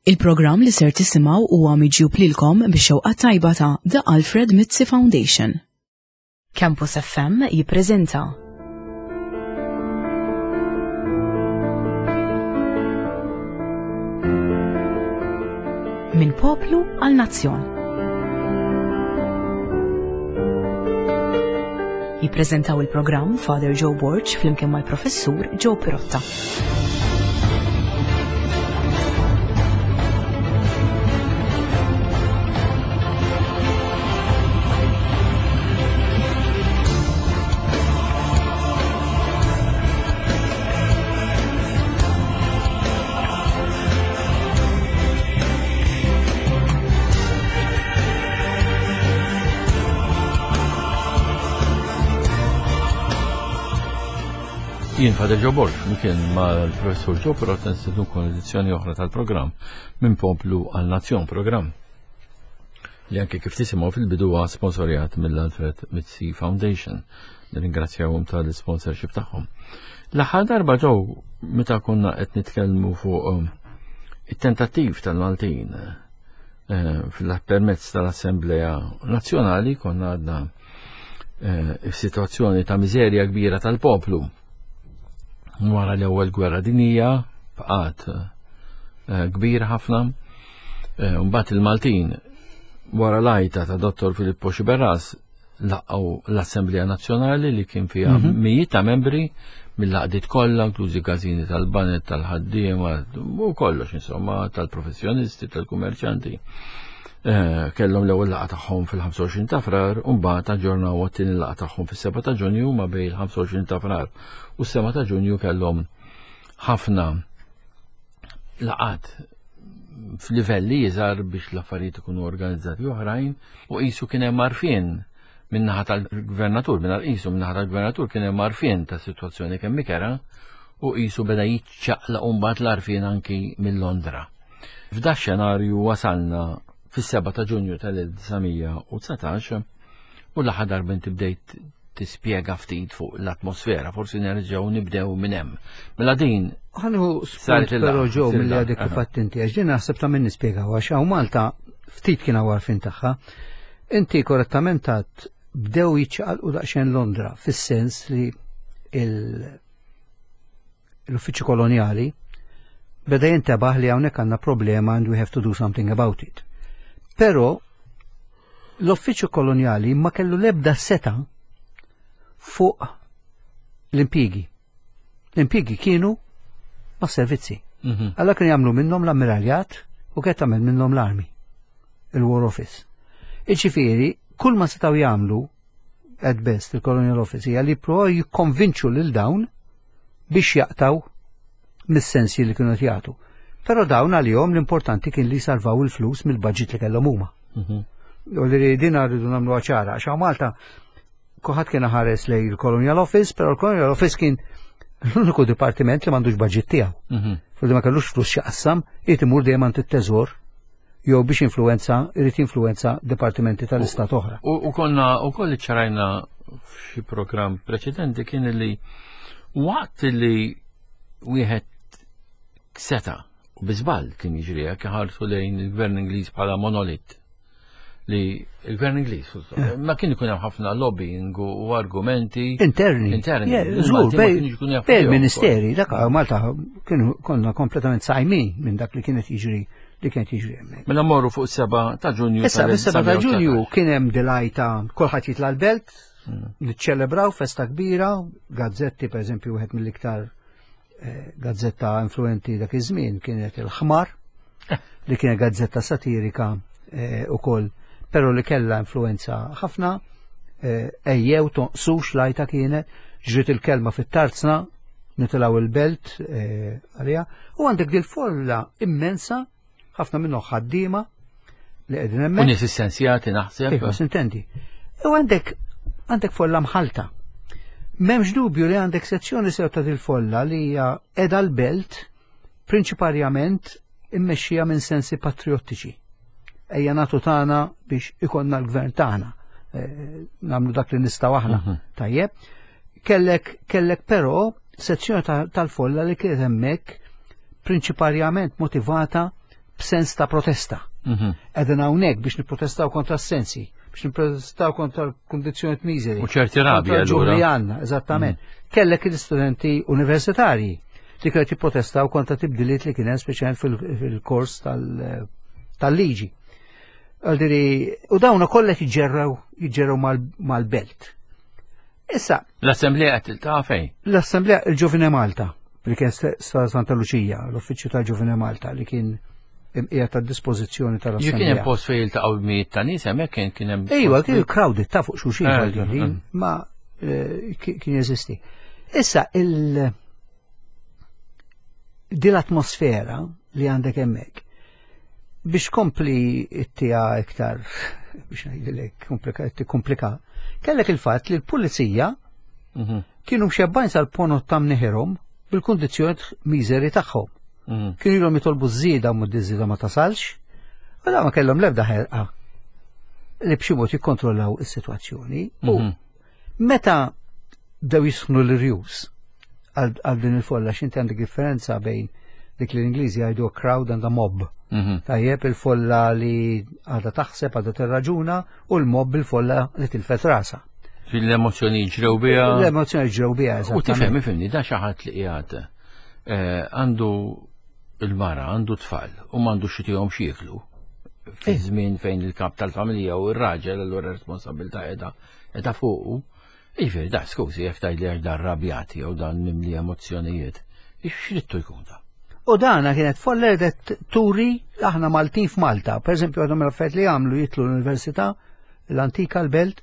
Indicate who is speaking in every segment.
Speaker 1: Il-programm li ser tisimgħu huwa miġjub lilkom bix-xewqa tajba ta' The Alfred Mizzi Foundation. Campus FM jippreżenta Minn poplu għal nazzjon. Jippreżentaw il-programm Father Joe Borg flimkien mal-Professur Joe Pirotta.
Speaker 2: Jien Father Joe Borg, flimkien mal-Professur Joe Pirrotta nistednukom edizzjoni oħra tal-programm minn Poplu għal Nazzjon programm li anke kif tisimgħu fil-bidu huwa sponsorjat mill-Alfred Mizzi Foundation. Nirringrazzjawhom tal-sponsorship tagħhom. L-aħħar darba ġew meta konna qed nitkellmu fuq um, it-tentattiv tal-Maltin eh, fil-permezz tal-Assemblea Nazzjonali konna għadna eh, situazzjoni ta' miżerja kbira tal-poplu. Wara l-ewwel gwerra dinija bqgħet eh, kbir ħafna. Eh, mbagħad il-Maltin wara l-għajta ta' Dottor Filippo Xiberras laqgħu l-Assemblea Nazzjonali li kien fiha mhm. mijiet ta' membri mill-laqdiet kollha, inklużi każini tal-banet, tal-ħaddiema u kollox insomma, tal-professjonisti, tal-kummerċanti. Eh, kellhom l-ewwel laqgħa tagħhom fil-25 ta' Frar u mbagħad aġġornaw għat-tieni laqgħa tagħhom fis-7 ta' Ġunju ma bejn il-25 ta' Frar u s-7 ta' Ġunju kellhom ħafna laqgħat f'livelli iżgħar biex l-affarijiet ikunu organizzati oħrajn u qisu kien hemm għarfien min-naħa tal-gvernatur, minn qisu min-naħa tal-gvernatur kien hemm għarfien ta' sitwazzjoni kemm ikera u qisu beda jiċċaqlaq u mbagħad l-għarfien anki minn Londra. F'da xenarju wasalna fis-7 ta' Ġunju tal-1919 u l-aħħar darba inti bdejt tispjega ftit fuq l-atmosfera, forsi nerġgħu nibdew minn hemm. Mela din
Speaker 3: Ħanħu spunt però ġew milli għadek kif għedt inti, għax din naħseb ta' min nispjegaw għax hawn Malta ftit kien hawn għarfien tagħha. Inti korrettament għedt bdew jiċċaqalqu daqsxejn Londra fis-sens li il- l-uffiċċju kolonjali beda jintebaħ li hawnhekk għandna problema and we have to do something about it. Però l-uffiċċju kolonjali ma kellu l-ebda seta fuq l-impjiegi. L-impjiegi kienu ma' servizzi. Mhm. Alla kienu jagħmlu minnhom l-ammiraljat u kien tagħmel minnhom l-armi, il-War Office. Iġifieri, kull ma setgħu jagħmlu at best il-Colonial Office hija li jippruvaw jikkonvinċu lil dawn biex jaqtaw mis-sensi li kienu jagħtu. Però dawn għalihom l-importanti kien li jsalvaw il-flus mill-budget li kellhom huma. Mhm. U li din rridu nagħmlu ċara, għax Malta kulħadd kien ħares lej il-Colonial Office, però il-Colonial Office kien l-uniku dipartiment li m'għandux budget tiegħu. Mhm. Fulli ma kellux flus x'jaqsam, irid imur dejjem għand it-teżor jew biex influenza irid jinfluenza dipartimenti tal-istat oħra.
Speaker 2: U konna u koll ċarajna f'xi programm preċedenti kien li waqt li wieħed seta u biżball kien jiġri hekk iħarsu lejn il-gvern Ingliż bħala monolit li il-gvern Ingliż eh. ma kien ikun hemm ħafna lobbying u argumenti
Speaker 3: interni.
Speaker 2: Interni.
Speaker 3: Żgur, bej il-ministeri, dak Malta kienu konna kompletament sajmin minn dak li kienet jiġri li kienet jiġri hemmhekk.
Speaker 2: Mela morru fuq 7 ta' Ġunju.
Speaker 3: Issa fis-7 ta' Ġunju kien hemm dilajta kulħadd jitla' l-belt, hmm. niċċelebraw festa kbira, gazzetti pereżempju wieħed mill-iktar eh, gazzetta influenti dak iż-żmien kienet il-ħmar, li kienet gazzetta satirika eh, ukoll, però li kellha influenza ħafna, eh, ejjew tonqsux lajta kienet, ġriet il-kelma fit-tarzna, nitilgħu il-belt eh, għalija, u għandek dil-folla immensa, ħafna minnhom ħaddiema li qegħdin hemmhekk.
Speaker 2: U nies essenzjati naħseb.
Speaker 3: Iva, sintendi. U għandek għandek folla mħalta. M'hemmx dubju li għandek sezzjoni sew ta' dil-folla li hija qiegħda l-belt prinċiparjament immexxija minn sensi patriottiċi. Ejja nagħtu tagħna biex ikonna l-gvern tagħna. Eh, nagħmlu dak li nistgħu aħna. Mhm. Tajjeb. Kellek kellek però sezzjoni tal-folla li kienet hemmhekk prinċiparjament motivata b'sens ta' protesta. Qegħdin hawnhekk biex nipprotestaw kontra s-sensi, biex nipprotestaw kontra l-kundizzjonijiet miżeri.
Speaker 2: U ċerti rabja
Speaker 3: allura. Li għandna, eżattament. Mhm. Kellek l-istudenti universitarji li kienu jipprotestaw kontra tibdiliet li kien hemm speċjalment fil-kors tal-liġi. Għaldiri, u dawna kollha jiġġerrew jiġġerrew mal-belt. Issa.
Speaker 2: L-Assemblea qed tiltaqa' fejn?
Speaker 3: L-Assemblea il-Ġovine Malta, li kien sa Santa Luċija, l-uffiċċju tal-Ġovine Malta li kien qiegħed ta' dispożizzjoni tal-Assemblea.
Speaker 2: Kien hemm post fejn jiltaqgħu mijiet ta' nies hemmhekk kien kien hemm.
Speaker 3: Ejwa, kien crowded ta' fuq xulxin eh, eh, eh. ma kien jeżisti. Issa il din l-atmosfera li għandek hemmhekk Biex kompli it-tija iktar, biex ngħidilek komplika, kellek il-fatt li l-pulizija mhm. kienu mxebbajn sal-ponot ta' mniħirhom bil-kundizzjoni miżeri tagħhom. Mhm. Kienu ilhom jitolbu żieda u żieda ma tasalx, u da ma kellhom l-ebda ħerqa li b'xi mod jikkontrollaw is-sitwazzjoni. U mhm. meta bdew jisħnu l-irjus għal din il-folla x'inti għandek differenza bejn dik li l-Ingliżi jgħidu crowd and a mob. Mhm. Tajjeb il-folla li għadha taħseb, għadha tirraġuna u l-mob il-folla li tilfet rasa.
Speaker 2: L-emozjoni ġrew biha.
Speaker 3: L-emozjoni ġrew biha,
Speaker 2: U tifhem, ifhimni, da xi ħadd li qiegħed eh, għandu il-mara, għandu tfal u m'għandu xi tihom x'jieklu. Fi eh. żmien fejn il-kap tal-familja u r-raġel allura responsabilità qiegħda qiegħda fuqu. Jiġifieri da skużi jekk tgħidli għax dan rabjat jew dan mimli emozzjonijiet, x'rittu jkun da?
Speaker 3: U dana kienet folla li turi aħna Maltin f'Malta. Per eżempju, għadhom l-affarijiet li għamlu jitlu l-Università, l-antika l-belt,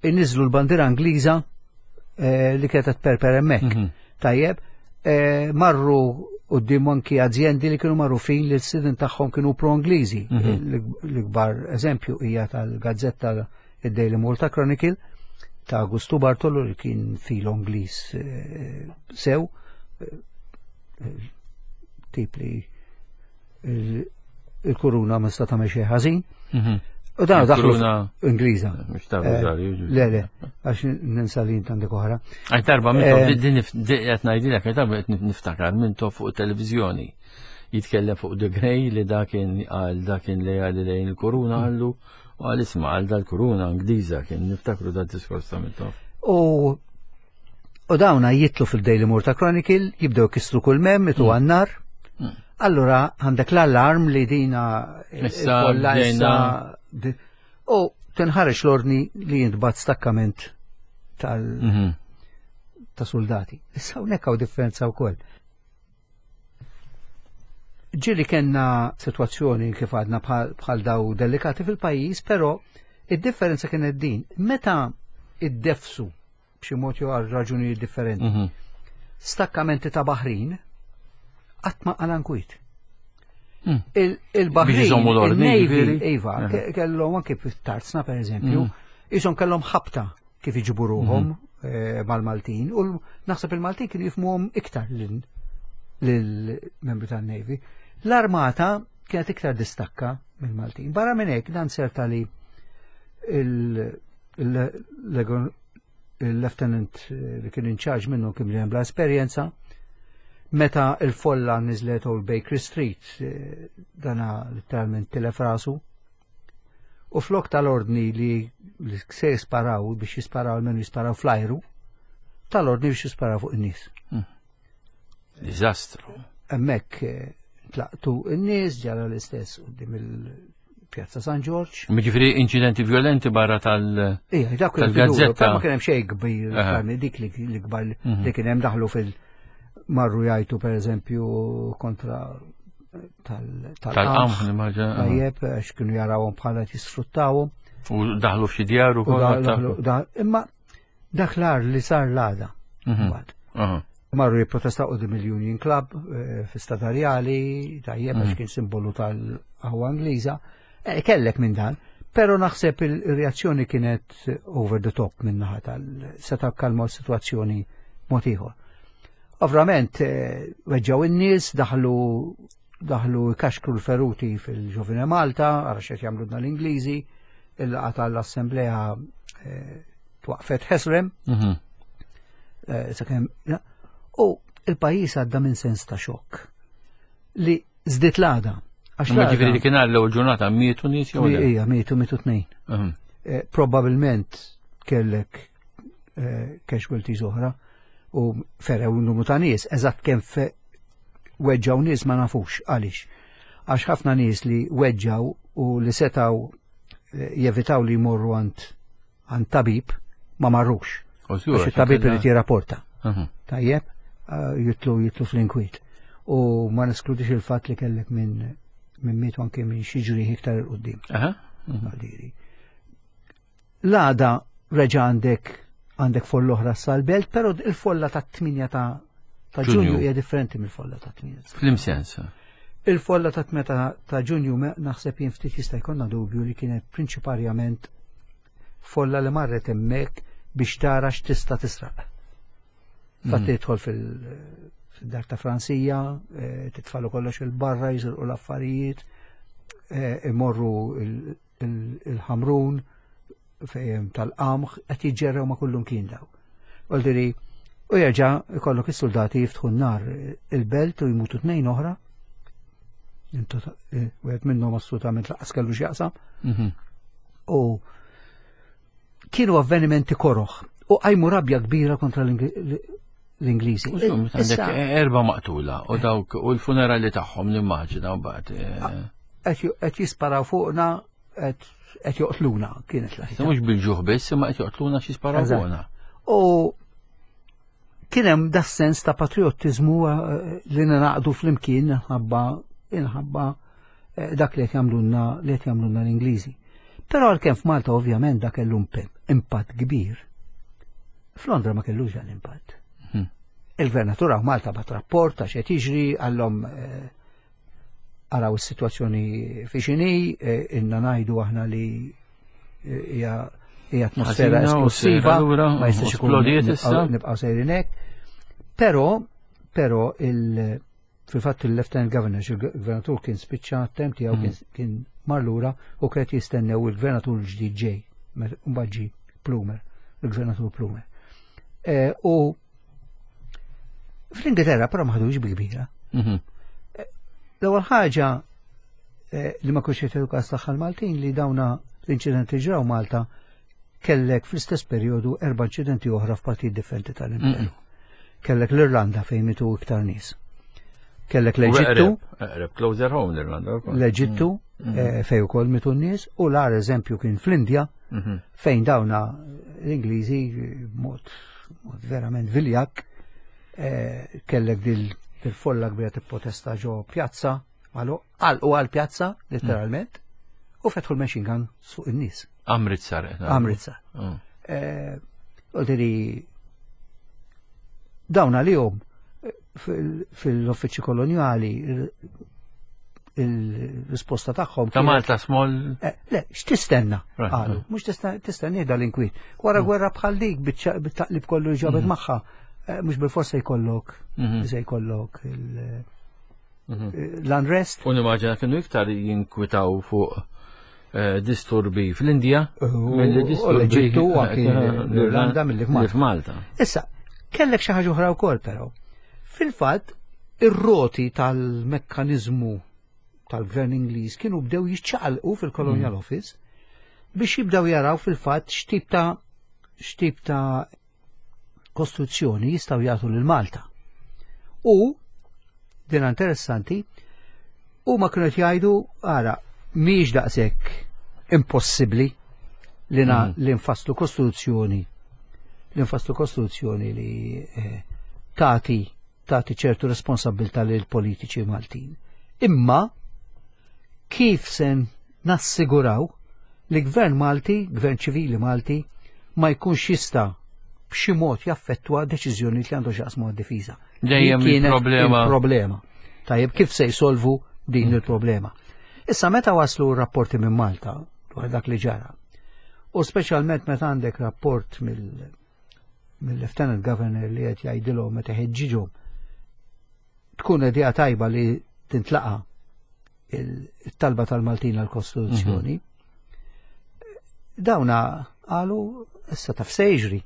Speaker 3: inniżlu l-bandiera Ingliża eh, li kienet perper hemmhekk. Mhm. Tajjeb, eh, marru quddiem anki azjendi li kienu magħrufin li s-sidin tagħhom kienu pro-Ingliżi. Mhm. L-ikbar eżempju hija tal-gazzetta id-Daily Malta Chronicle ta' Augustu Bartolo li kien filo Ingliż eh, sew, eh, tip li il-kuruna ma sta tagħmel xejn ħażin. Mhm. U dan daħlu Ingliża. Eh, le, le, għax ninsa li għandek oħra.
Speaker 2: Għaj darba minn din qed ngħidilek, għaj darba qed niftakar minn fuq televizjoni jitkellem fuq The Grey li dakin għal dakin lejali lejn il-kuruna għallu U għal isma għal dal-kuruna Ingliża kien niftakru dal diskors ta' Mintoff.
Speaker 3: U u dawna jitlu fil-Daily Malta Chronicle, jibdew kisru kull mem, itu mm. għannar. Mm. Allura għandek l-allarm li dina
Speaker 2: issa issa
Speaker 3: u tinħareġ l-ordni li jintbat stakkament tal mhm. ta' soldati. Issa hawnhekk hawn differenza wkoll. Ġieli kellna sitwazzjoni kif għadna bħal daw delikati fil-pajjiż, però id-differenza kienet din. Meta iddefsu b'xi mod jew għal raġunijiet differenti, mhm. stakkamenti ta' baħrin qatt ma qala nkwiet. Mm. Il-baħrin, il-Navy, iva, kellhom anke fit-tarzna per eżempju, mm. isom kellhom ħabta kif iġibu ruħhom mhm. eh, mal-Maltin u naħseb il-Maltin kienu jifmuhom iktar lill-membri tan-Navy. L-armata kienet iktar distakka mill-Maltin. Barra minn hekk dan serta li il-lieutenant eh, li kien in charge minnu kien li bla esperjenza meta il-folla niżlet Old Bakery Street eh, dana letteralment tilef rasu U flok tal-ordni li se jisparaw biex jisparaw almenu jisparaw fl-ajru, tal-ordni biex jisparaw fuq in-nies. Hmm.
Speaker 2: Diżastru.
Speaker 3: Hemmhekk eh, tlaqtu n-nies ġara l-istess quddiem il-Pjazza San Ġorġ.
Speaker 2: Jiġifieri inċidenti violenti barra tal-
Speaker 3: Ija, dak
Speaker 2: tal-gazzetta.
Speaker 3: Ma kien hemm xejn kbir, dik li kbar mhm. li kien hemm daħlu fil- marru jgħajtu per eżempju kontra
Speaker 2: tal-qamħ.
Speaker 3: Tajjeb, għax kienu jarawhom bħala jisfruttawhom.
Speaker 2: U daħlu f'xi djar ukoll.
Speaker 3: Imma dak l-ar li sar l-għada. Mhm. Marru jipprotestaw qudiem il-Union Club eh, fi Stadarjali, tajjeb għax mhm. kien simbolu tal-qahwa Ingliża. Eh, kellek minn dan, pero naħseb il-reazzjoni kienet over the top minn naħa tal-seta kalma s-situazzjoni mod ieħor. Ovvjament, eh, weġġaw in-nies, daħlu daħlu kaxkru l-feruti fil-Ġovine Malta, għara xed jagħmlu l-Ingliżi, il-laqa tal-Assemblea eh, twaqfet ħesrem. Mhm. U il-pajjiż għadda minn sens ta' xokk li żdiet l-għada. Għax
Speaker 2: Ma ġifieri dik l-ewwel ġurnata mietu nies jew le?
Speaker 3: Ija, mietu mietu tnejn.
Speaker 2: Mhm.
Speaker 3: Eh, Probabilment kellek eh, casualties oħra u ferew numru ta' nies, eżatt kemm weġġaw nies ma nafux għaliex. Għax ħafna nies li weġġaw u li setaw eh, jevitaw li jmorru għand għand tabib ma marrux. Għax it-tabib irid jirrapporta.
Speaker 2: Mhm.
Speaker 3: Tajjeb, eh, jitlu jitlu fl-inkwiet. U ma neskludix il-fatt li kellek minn minn mietu anke minn xi ġrieħ iktar il qudiem
Speaker 2: Mhm.
Speaker 3: L-għada reġa' għandek għandek folla oħra sal-belt, però il-folla ta' 8 ta' ta' Ġunju hija differenti mill-folla ta' 8.
Speaker 2: Flim sens.
Speaker 3: Il-folla ta' 8 ta' Ġunju naħseb jien ftit jista' jkollna dubju li kienet prinċiparjament folla li marret hemmhekk biex tara x'tista' tisraq. Fatt mhm. tidħol fil-dar ta' Franzija, eh, titfalu kollox il-barra, jisirqu l-affarijiet, eh, imorru il-ħamrun fejn tal-qamħ, qed jiġġerrew ma' kullum kien daw. Għoldiri, u jerġa' ikollok is-soldati jiftħu n-nar il-belt u jmutu tnejn oħra. Eh, wieħed minnhom assolutament laqas kellu x'jaqsam.
Speaker 2: Mhm.
Speaker 3: U kienu avvenimenti koroħ u qajmu rabja kbira kontra l-Ingliżi.
Speaker 2: Għandek erba maqtula u dawk u l-funerali tagħhom nimmaġina mbagħad. Eh.
Speaker 3: Qed jisparaw fuqna qed joqtluna kienet
Speaker 2: l Mhux bil-ġuħ biss imma qed joqtluna xi jisparaw fuqna.
Speaker 3: U kien hemm da sens ta' patriottiżmu eh, li naqdu flimkien inħabba inħabba eh, dak li qed jagħmlulna li qed jagħmlulna l-Ingliżi. Però għalkemm f'Malta ovvjament dak kellu impatt kbir. F'Londra ma kellux dan impatt.
Speaker 2: Mhm.
Speaker 3: Il-gvernatur hawn Malta bat rapport ta' xed jiġri għallhom eh, araw is-sitwazzjoni fi xini, inna ngħidu aħna li hija hija atmosfera esplosiva, ma jistax ikun nibqgħu sejrin hekk. Però però il fil-fatt il-Lieutenant Governor, il-Gvernatur kien spiċċa tem tiegħu mhm. kien mar lura u kienet jistennew il-Gvernatur l-ġdid ġej, mbagħad ġi Plumer, il-Gvernatur Plumer. Eh, u fl-Ingilterra però ma ħadux bi kbira.
Speaker 2: Mhm.
Speaker 3: Eh, l-ewwel ħaġa eh, li ma kienx jagħtu każ tagħha l-Maltin li dawna l-inċidenti ġraw Malta kellek fl-istess perjodu erba' inċidenti oħra f'partijiet differenti tal-imperu. Kellek l-Irlanda fejn mitu iktar nies. Kellek l-Eġittu.
Speaker 2: Eqreb closer home l-Irlanda.
Speaker 3: L-Eġittu mm. eh, fejn ukoll mitu n-nies u l-agħar eżempju kien fl-Indja
Speaker 2: mhm.
Speaker 3: fejn dawna l-Ingliżi mod verament viljak eh, kellek dil-folla kbira tipprotesta ġo pjazza għal u għal pjazza letteralment u fetħu l-machine gun fuq in-nies.
Speaker 2: Amritsar. Eh,
Speaker 3: Amritsar.
Speaker 2: Oh.
Speaker 3: Eh, Għodiri, dawn għalihom fil-uffiċċju kolonjali il-risposta tagħhom.
Speaker 2: Ta' Malta small.
Speaker 3: Eh, le, x'tistenna? Qalu, mhux tistenni dal-inkwiet. Wara mm. gwerra bħal dik bit-taqlib kollu ġabet mm. magħha, eh, mhux bil-forsa jkollok,
Speaker 2: mhm.
Speaker 3: se jkollok mhm. l-unrest.
Speaker 2: U nimmaġina kienu iktar jinkwitaw fuq eh, disturbi fl-Indja
Speaker 3: milli disturbi l-Eġittu u anki l-Irlanda milli
Speaker 2: f'Malta.
Speaker 3: Issa, kellek xi ħaġa oħra wkoll però. Fil-fatt, ir-roti tal-mekkaniżmu tal-gvern Ingliż kienu bdew jiċċaqalqu fil-Colonial mm. Office biex jibdew jaraw fil-fatt x'tip ta' x'tip ta' kostruzzjoni jistgħu jagħtu lil Malta. U din interessanti, huma kienu qed jgħidu ara mhijiex daqshekk impossibbli li na mm. li nfasslu kostruzzjoni li nfasslu kostruzzjoni li eh, tagħti tagħti ċertu responsabilità lil politiċi Maltin. Imma kif se nassiguraw li gvern Malti, gvern ċivili Malti, ma jkunx jista' b'xi mod jaffettwa deċiżjoni li għandu x'jaqsmu għad-difiża.
Speaker 2: Dejjem il-problema.
Speaker 3: Il-problema. Tajjeb, kif se jsolvu din mm. il-problema? Issa meta waslu rapporti minn Malta dwar dak li ġara, u speċjalment meta għandek rapport mill mill-Lieutenant Governor li qed jgħidilhom meta ħeġġiġhom tkun idea tajba li tintlaqa il-talba tal-Maltin għal-Kostituzzjoni. Mhm. Dawna qalu issa taf se jiġri.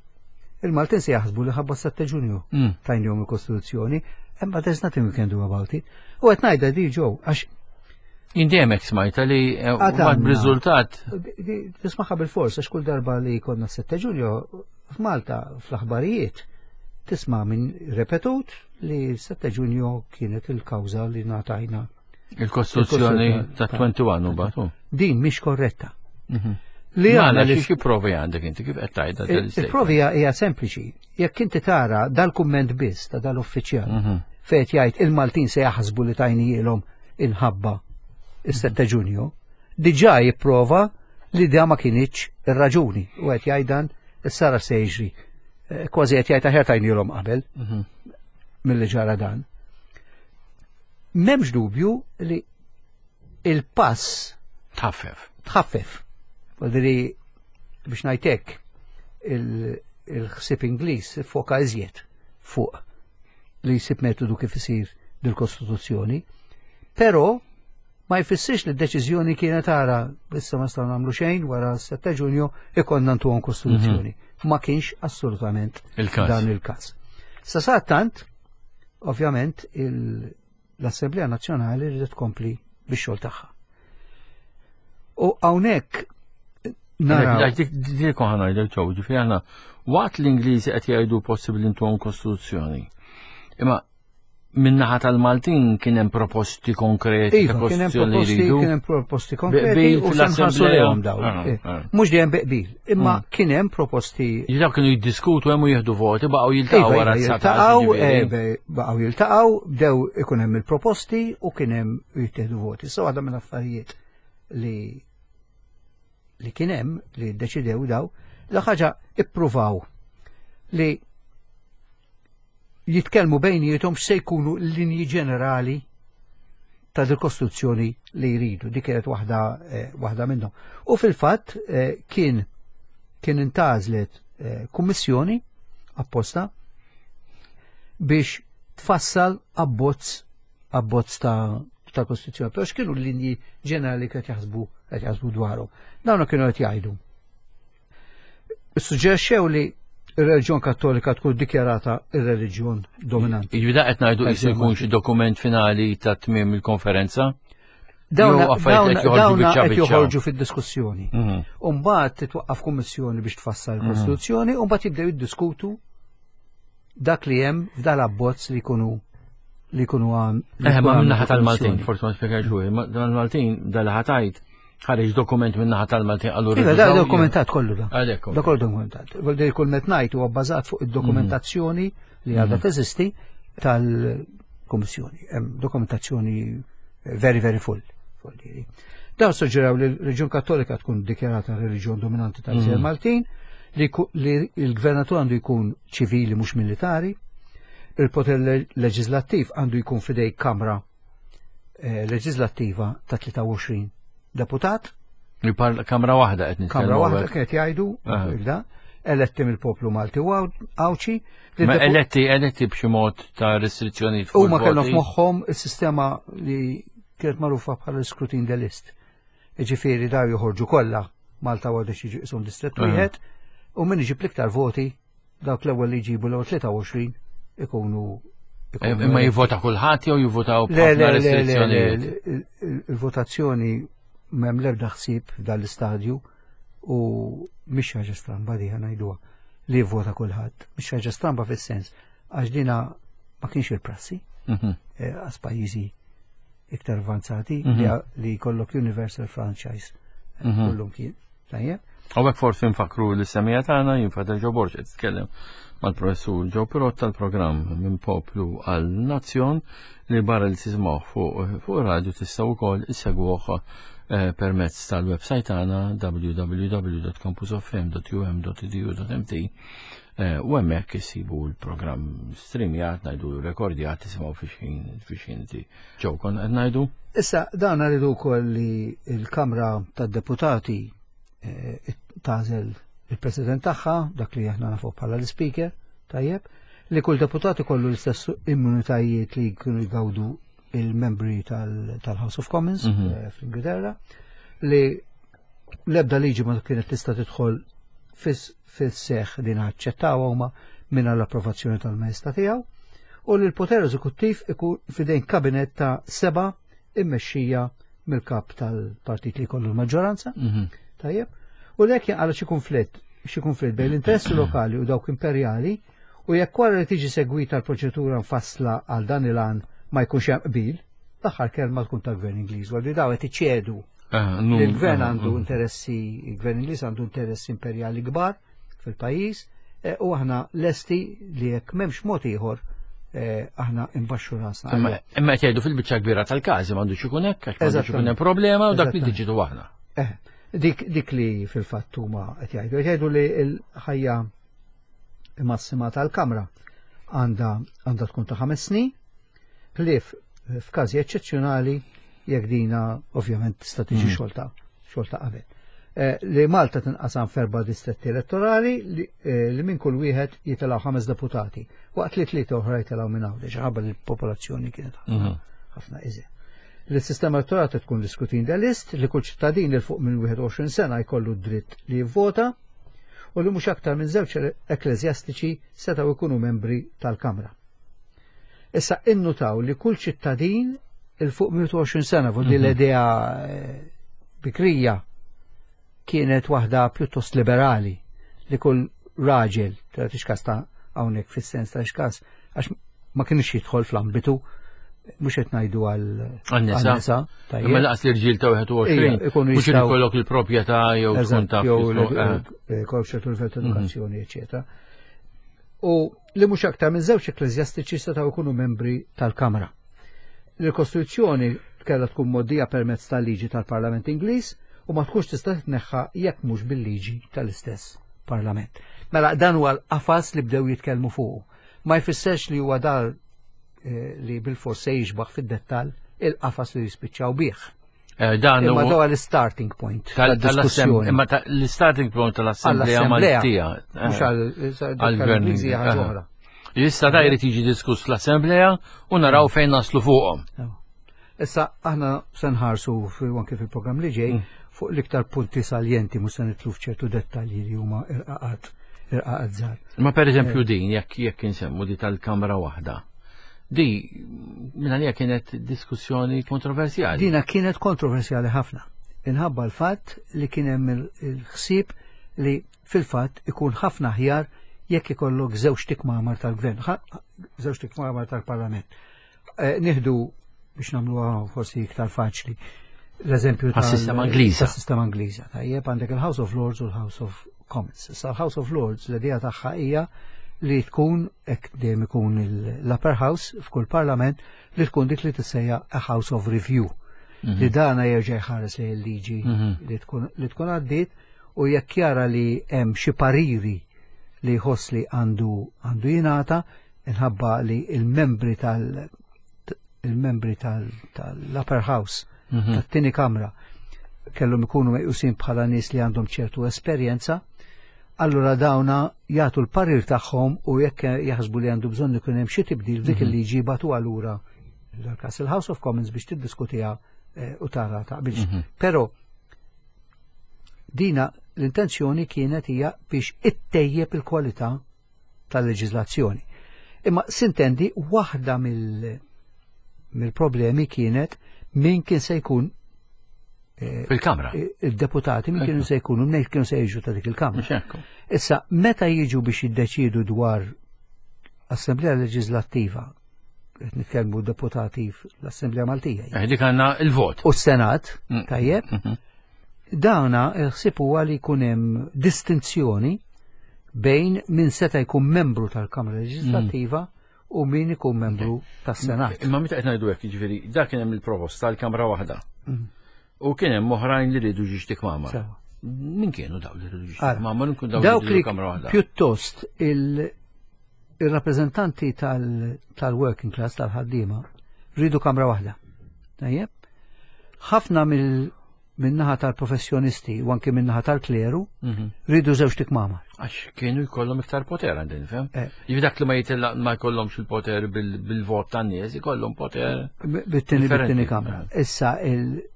Speaker 3: Il-Maltin se jaħsbu li ħabba 7 Ġunju
Speaker 2: mm.
Speaker 3: tajnihom il-Kostituzzjoni, imma there's nothing we can do about it. U qed ngħidha di ġew għax.
Speaker 2: Jien dejjem hekk smajta li eh, mbagħad b'riżultat.
Speaker 3: Tismaħħa bil-fors għax kull darba li konna 7 Ġulju f'Malta fl-aħbarijiet tisma' minn repetut li 7 Ġunju kienet il-kawża li ngħatajna.
Speaker 2: Il-Kostituzzjoni ta' 21 u batu.
Speaker 3: Din mhix korretta.
Speaker 2: Mhm. Li għandna li xi provi għandek inti kif qed tgħidha
Speaker 3: Il-provi hija sempliċi. Jekk inti tara dal-kumment biss ta' dal-uffiċjal mhm. fejn jgħid il-Maltin se jaħsbu li tajnijielhom inħabba is-7 Ġunju, diġà jipprova li da ma kinitx ir-raġuni u qed jgħid dan issara se jiġri. Eh, kważi qed jgħid aħjar tajnielhom qabel mhm. milli ġara dan. M'hemmx dubju li il-pass
Speaker 2: tħaffef.
Speaker 3: Tħaffef. Għadri biex ngħidlek il-ħsieb Ingliż foka iżjed fuq li jsib metodu kif isir dil-Kostituzzjoni, però ma jfissirx li d-deċiżjoni kienet ara issa ma nistgħu nagħmlu xejn wara 7 Ġunju ikonna ntuhom Kostituzzjoni. Mhm. Ma kienx assolutament dan il-każ. Sa tant, ovvjament, l-Assemblea Nazzjonali rridet tkompli bix-xogħol tagħha. U hawnhekk
Speaker 2: naraw. Dik ħa ngħidlek ġew, ġifieri aħna waqt l-Ingliżi qed jgħidu possibbli intuhom kostituzzjoni. Imma minnaħa tal-Maltin kien hemm proposti konkreti
Speaker 3: iva, kien hemm proposti, kien hemm proposti konkreti u fl-assemblea lejhom dawn. Ah, eh, ah. Mhux dejjem beqbil, imma mm. kien hemm proposti.
Speaker 2: Daw kienu jiddiskutu hemm u jieħdu voti, baqgħu jiltaqgħu iva, wara
Speaker 3: iva, jiltaqgħu, eh, baqgħu jiltaqgħu, bdew ikun hemm il-proposti u kien hemm jittieħdu voti. So għadha minn affarijiet li li kien hemm li ddeċidew daw, la ħaġa ippruvaw li jitkellmu bejniethom x'se jkunu l-linji ġenerali ta' dil-kostruzzjoni li jridu. Dik kienet waħda eh, waħda minnhom. U fil-fatt eh, kien kien intażlet eh, kummissjoni apposta biex tfassal abbozz abbozz ta' ta' kostituzzjoni. Però x'kienu l-linji ġenerali qed jaħsbu qed jaħsbu dwarhom. Dawn kienu qed jgħidu. Suġġerxew li ir-reliġjon kattolika tkun dikjarata ir-reliġjon dominanti.
Speaker 2: Jiġifieri qed ngħidu qisu jkun xi dokument finali ta' tmiem il-konferenza?
Speaker 3: Dawn qed joħorġu fid-diskussjoni. Mhm. U mbagħad titwaqqaf kummissjoni biex tfassal mhm. il-Kostituzzjoni u mbagħad jibdew jiddiskutu dak li hemm f'dal abbozz li jkunu li jkunu għam.
Speaker 2: Eh, ma minnaħa tal-Maltin, forsi ma spjegajx hu, mal-Maltin dal-ħatajt ħareġ dokument minnaħa tal-Maltin
Speaker 3: għallu. Iva, da dokumentat kollu da. Għalhekk. Da kollu dokumentat. Vuol kull met ngħid huwa bbażat fuq id-dokumentazzjoni li għadha mhm. teżisti tal-Kummissjoni. Hemm dokumentazzjoni very very full. Dawn suġġeraw li l-Reliġjon Kattolika tkun dikjarata reliġjon dominanti tal-Gżejjer mm. Maltin, li l-gvernatur għandu jkun ċivili mhux militari, il-poter leġislattiv għandu jkun fidej Kamra eh, Leġislattiva ta' 23 deputat.
Speaker 2: Kamra waħda qed
Speaker 3: Kamra waħda kienet jgħidu, eletti mill-poplu Malti u Għawċi.
Speaker 2: Ma eletti, eletti b'xi mod ta' restrizzjoni.
Speaker 3: Huma kellhom f'moħħhom is-sistema li kienet magħrufa bħala l-scrutine de list. Ġifieri daw joħorġu kollha Malta għadu xi qishom distrett wieħed u min iġib l-iktar voti dawk l-ewwel li jġibu l-ewwel 23 ikunu
Speaker 2: eh, Imma jivvota kulħadd jew jivvotaw b'ħafna restrizzjonijiet?
Speaker 3: Il-votazzjoni m'hemm l-ebda ħsieb f'dan l-istadju u mhix ħaġa stramba di ngħiduha li jivvota kulħadd. Mhix ħaġa stramba fis-sens għax dina ma kienx il-prassi mhm. eh, għas pajjiżi iktar avanzati mhm. li jkollok universal franchise eh, mhm. kullum kien.
Speaker 2: Tajjeb. Hawnhekk forsi nfakru li semija tagħna jien Fader Ġo Borg qed titkellem mal-professur Ġo Pirott tal-programm minn poplu għal nazzjon li barra li tisimgħu fuq fuq radio tistgħu wkoll issegwuh eh, permezz tal-website tagħna www.campusfm.um.edu.mt eh, u hemmhekk issibu l-programm streamjat ngħidu rekordjat tisimgħu fix-ħin fix-ħin Ġew konna qed ngħidu.
Speaker 3: Issa dan rridu wkoll li l-Kamra tad-Deputati eh, tagħżel il-President tagħha, dak li aħna nafu bħala l-Speaker, tajjeb, li kull deputat ikollu l-istess immunitajiet li jkunu jgawdu il-membri tal-House of Commons mhm. eh, fl-Ingilterra, li l-ebda liġi ma kienet tista' tidħol fis-seħ li naċċettaw huma minn l-approvazzjoni tal-Majestà tiegħu u li l-poter eżekuttiv ikun fidejn kabinett ta' seba' immexxija mill-kap tal-partit li jkollu l-maġġoranza. Mhm. Tajjeb. U lek jinqala xi konflitt, xi konflitt bejn l-interessi lokali u dawk imperjali u jekk wara li tiġi segwita l-proċedura mfassla għal dan il-għan ma jkunx hemm qbil, l-aħħar kelma tkun tal-Gvern Ingliż, għal daw qed iċedu. Ah, il-gvern għandu interessi, il-gvern Ingliż għandu interessi imperjali kbar fil-pajjiż eh, u aħna lesti li jekk m'hemmx mod ieħor eh, aħna imbaxxu rasna.
Speaker 2: Imma qed jgħidu fil-biċċa kbira tal-każi m'għandux ikun hekk, għax m'għandux ikun hemm problema u dak li diġitu aħna.
Speaker 3: Eh, dik dik li fil-fatt huma qed jgħidu, qed jgħidu li l-ħajja massima tal-Kamra għandha għandha tkun ta' ħames snin, ħlief f'każi eċċezzjonali jekk dina ovvjament tista' tiġi mm. xolta xolta qabel. Eh, li Malta tinqasam f'erba' distretti elettorali li, eh, li minn kull wieħed jitilgħu ħames deputati, waqt li tlieta oħra jitilgħu minn Għawdex, ħabba li l-popolazzjoni kienet ħafna mhm. ħafna iżjed. Li s-sistema elettorali tkun diskutin list li kull ċittadin il fuq minn 21 sena jkollu d-dritt li jivvota u li mhux aktar minn żewġ ekkleżjastiċi setgħu jkunu membri tal-Kamra. Issa innutaw li kull ċittadin il fuq 120 sena fuq din mhm. l-idea eh, bikrija kienet waħda pjuttost liberali li kull raġel, ta' tixkas ta' hawnhekk fis-sens ta' xkas, għax ma kienx jidħol fl-ambitu mhux qed ngħidu għal
Speaker 2: nisa. Imma laqas l-irġiel ta' 21. Mhux ikollok il-proprjetà jew tkun taf.
Speaker 3: Jew eh, ikollok ċertu livell ta' mhm. edukazzjoni, eċetera. U li mhux aktar minn żewġ ekkleżjastiċi setgħu jkunu membri tal-Kamra. Il-Kostituzzjoni kellha tkun moddija permezz tal-liġi tal-Parlament Ingliż u ma tkunx tista' titneħħa jekk mhux bil-liġi tal-istess Parlament. Mela dan huwa l-qafas li bdew jitkellmu fuqu. Ma jfisserx li huwa dar eh, li bil-fors se jixbaħ fid-dettall il-qafas li jispiċċaw bih.
Speaker 2: Eh, dan
Speaker 3: Imma daw l-starting point.
Speaker 2: Tal-diskussjoni. Imma l-starting point tal-Assemblea Maltija.
Speaker 3: Mhux għall-Gvern. Eh.
Speaker 2: Issa da jrid jiġi diskuss l-Assemblea u naraw mm. fejn naslu fuqhom.
Speaker 3: Issa aħna se nħarsu anke fil-programm li ġej mm. fuq l-iktar punti saljenti mhux se nitlu f'ċertu dettalji li huma irqaqat irqaqat żgħar.
Speaker 2: Ma pereżempju eh. din jekk jekk insemmu di tal-kamra waħda. Di, minn għalija kienet diskussjoni kontroversjali.
Speaker 3: Dina kienet kontroversjali ħafna. Inħabba l-fatt li kien hemm il-ħsieb li fil-fatt ikun ħafna aħjar jekk ikollok żewġ tikmamar tal-gvern, żewġ tikmamar tal-parlament. Eh, nieħdu biex nagħmluha forsi iktar faċli l-eżempju
Speaker 2: tas-sistema Ingliża.
Speaker 3: Tas-sistema Ingliża. Tajjeb għandek il-House of Lords u l-House of Commons. Issa l-House of Lords l-idea tagħha hija li tkun hekk dejjem ikun l-upper house f'kull parlament li tkun dik li tissejja a House of Review. Mhm. Li dana jerġa' jħares li l-liġi mhm. li tkun għaddiet u jekk jara li hemm xi pariri li jħoss li għandu għandu jingħata inħabba li il-membri tal il-membri tal-upper house mhm. tat-tieni kamra kellhom ikunu meqjusin bħala nies li għandhom ċertu esperjenza, allura dawna jagħtu l-parir tagħhom u jekk jaħsbu li għandu bżonn ikun hemm xi tibdil f'dik mhm. il-liġi batu allura l-każ il-House of Commons biex tiddiskutiha eh, u tara taqbilx. Mhm. Però dina l-intenzjoni kienet hija biex ittejjeb il-kwalità tal-leġiżlazzjoni. Imma sintendi waħda mill-problemi kienet min kien se jkun
Speaker 2: eh, fil-kamra.
Speaker 3: Eh, il-deputati min kienu se jkunu, min kienu se jiġu ta' dik il-kamra. Issa, meta jiġu biex jiddeċidu dwar Assemblea Leġislattiva, qed nitkellmu deputati fl-Assemblea Maltija.
Speaker 2: Eh, dik għandna il-vot.
Speaker 3: U s-Senat, mm. tajjeb, mhm. Dawna il-ħsieb huwa li jkun hemm distinzjoni bejn min seta' jkun membru tal-Kamra Leġislattiva mm. u min ikun membru tas-Senat.
Speaker 2: Imma meta qed ngħidu hekk, jiġifieri dak kien hemm il-proposta tal-Kamra waħda. Mm. U kien hemm oħrajn li rridu ġiex tikmama. Min kienu daw li rridu ġiex tikmama, nkun daw li kamra waħda.
Speaker 3: Pjuttost il-rappreżentanti tal-working class tal-ħaddiema rridu kamra waħda. Tajjeb? Ħafna mill min-naħa tal-professjonisti u anki min-naħa tal-kleru mhm. rridu żewġ tikmama.
Speaker 2: Għax kienu jkollhom iktar poter għandin, fem? Eh. Jiġifieri dak li ma jitella ma jkollhomx il-poter bil-vot tan-nies, ikollhom poter.
Speaker 3: Bit-tieni bit-tieni kamra. Eh. Issa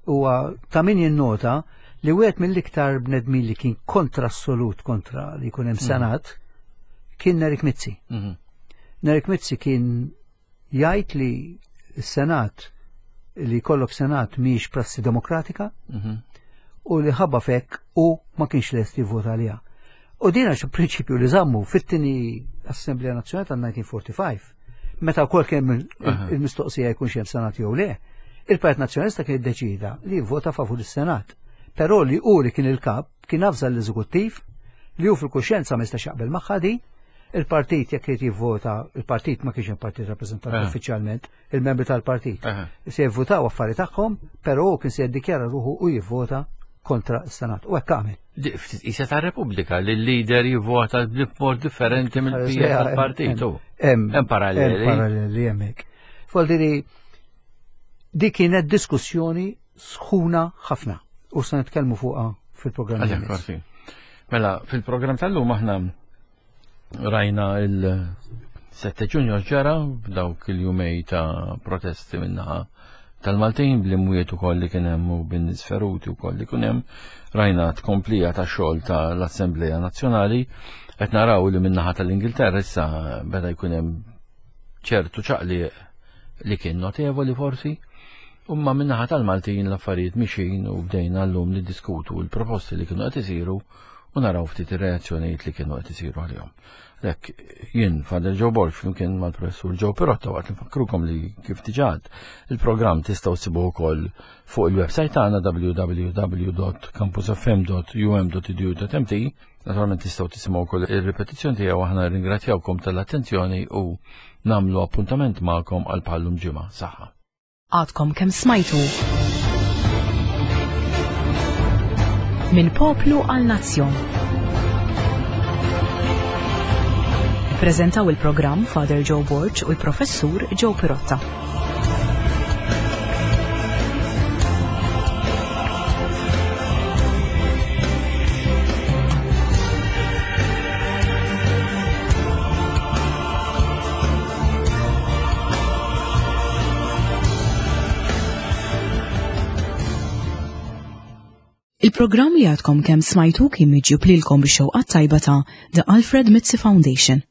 Speaker 3: huwa ta' min jinnota li wieħed mill-iktar bnedmin li kien kontra assolut kontra li jkun hemm mhm. senat kien Nerik Mizzi. Mhm. Nerik Mizzi kien jgħid li s-Senat li jkollok senat mhijiex prassi demokratika mhm. u li ħabba fek u ma kienx lest jivvota għaliha. U din għax prinċipju li żammu fit-tieni Assemblea Nazzjonali tal-1945, meta wkoll kien il-mistoqsija jkunx hemm senat jew le, il-Partit Nazzjonalista kien iddeċida li jivvota favur is-Senat. Però li hu li kien il-kap kien avża l-eżekuttiv li hu fil-kuxjenza ma jistax jaqbel magħha di, il-partit jekk irid jivvota, il-partit ma kienx hemm partit rappreżentant eh. uffiċjalment, il-membri tal-partit. Eh. Se jivvotaw affari tagħhom, però hu kien se jiddikjara ruħu u jivvota kontra s-Senat. U hekk għamel.
Speaker 2: Isa ta' Repubblika li l-lider jivvota b'mod differenti mill-pija tal-partit. Hemm paralleli.
Speaker 3: Hemm paralleli hemmhekk. Fol di kienet diskussjoni sħuna ħafna u se nitkellmu fuqha fil-programm.
Speaker 2: Mela, fil-programm tal-lum aħna rajna il-7 ġunju ġara b'dawk il-jumej ta' protesti minnaħa tal-Maltin bl-imwiet ukoll li kien hemm u bin-nies feruti wkoll li kien hemm rajna tkomplija ta' xogħol tal-Assembleja Nazzjonali qed naraw li minnaħa tal-Ingilterra issa beda jkun hemm ċertu ċaqliq li kien notevoli forsi, umma minnaħa tal-Maltin l-affarijiet mixin u bdejna llum niddiskutu l-proposti li kienu qed isiru u naraw ftit ir-reazzjonijiet li kienu qed isiru għalihom. Lek, jien Father Joe Borg flimkien mal-professur Joe Pirotta waqt li nfakkrukom li kif diġà il-programm tistgħu ssibuh ukoll fuq il-website tagħna www.campusfm.um.edu.mt Naturalment tistgħu tisimgħu wkoll ir-ripetizzjoni tiegħu aħna ringrazzjawkom tal-attenzjoni u nagħmlu appuntament magħkom għal bħallum ġimgħa. Saħħa.
Speaker 1: Għadkom kemm smajtu. Minn poplu għal nazzjon. Prezentaw il-programm Father Joe Borg u l-Professur Joe Pirotta. Il-programm li għadkom kemm smajtu kien miġjub lilkom bix-xewqat tajba ta' The Alfred Mizzi Foundation.